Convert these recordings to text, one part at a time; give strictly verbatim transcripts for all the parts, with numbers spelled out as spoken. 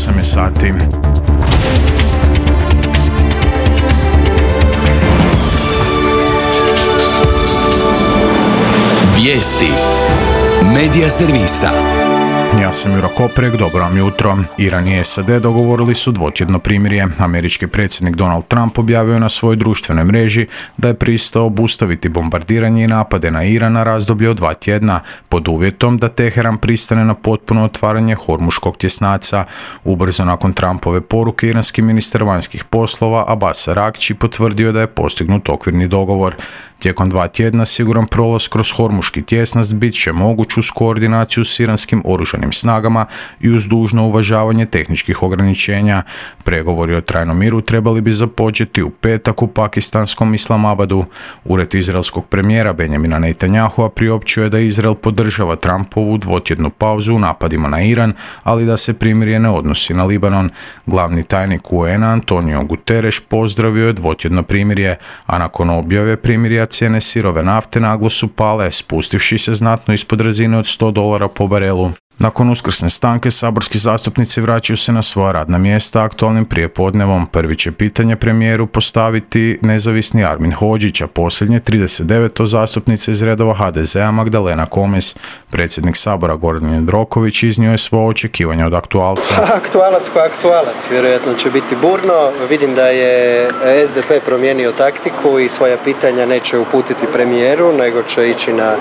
osam je sati. Vijesti Medija servisa. Ja sam Juro Koprek, dobro vam jutro. Iran i S A D dogovorili su dvotjedno primirje. Američki predsjednik Donald Trump objavio na svojoj društvenoj mreži da je pristao obustaviti bombardiranje i napade na Iran na razdoblje od dva tjedna, pod uvjetom da Teheran pristane na potpuno otvaranje Hormuškog tjesnaca. Ubrzo nakon Trumpove poruke, iranski ministar vanjskih poslova Abbas Araghči potvrdio da je postignut okvirni dogovor. Tijekom dva tjedna siguran prolaz kroz Hormuški tjesnac bit će moguć uz koordinaciju s iranskim oružanim snagama i uz dužno uvažavanje tehničkih ograničenja. Pregovori o trajnom miru trebali bi započeti u petak u pakistanskom Islamabadu. Ured izraelskog premijera Benjamina Netanyahua priopćio je da Izrael podržava Trumpovu dvotjednu pauzu u napadima na Iran, ali da se primirje ne odnosi na Libanon. Glavni tajnik U N-a Antonio Guterres pozdravio je dvotjedno primirje, a nakon objave primirja cijene sirove nafte naglo su pale, spustivši se znatno ispod razine od sto dolara po barelu. Nakon uskrsne stanke, saborski zastupnici vraćaju se na svoja radna mjesta aktualnim prijepodnevom. Prvi će pitanje premijeru postaviti nezavisni Armin Hodžić, a posljednje trideset deveto zastupnice iz redova H D Z-a Magdalena Komes. Predsjednik Sabora Gordan Jandroković iznio je svoje očekivanje od aktualca. Aktualac ko aktualac, vjerojatno će biti burno. Vidim da je S D P promijenio taktiku i svoja pitanja neće uputiti premijeru, nego će ići na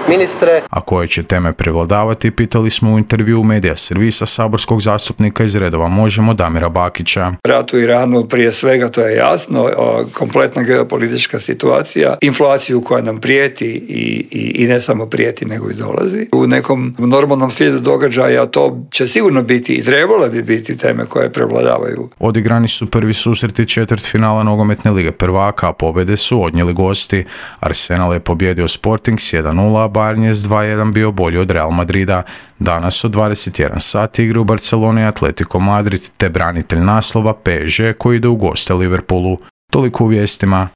ministre. A koje će teme prevladavati, pitali smo u intervju Medija servisa saborskog zastupnika iz redova Možemo Damira Bakića. Rat u Iranu prije svega, to je jasno, kompletna geopolitička situacija, inflaciju koja nam prijeti i, i, i ne samo prijeti nego i dolazi. U nekom normalnom slijedu događaja to će sigurno biti i trebale bi biti teme koje prevladavaju. Odigrani su prvi susreti četvrtfinala nogometne lige prvaka, a pobjede su odnijeli gosti. Arsenal je pobjedio Sporting s jedan nula, a Bayern je s dva jedan bio bolji od Real Madrida. Danas od dvadeset jedan sati igra u Barceloni Atletico Madrid te branitelj naslova P S G koji ide u goste Liverpoolu. Toliko u vijestima.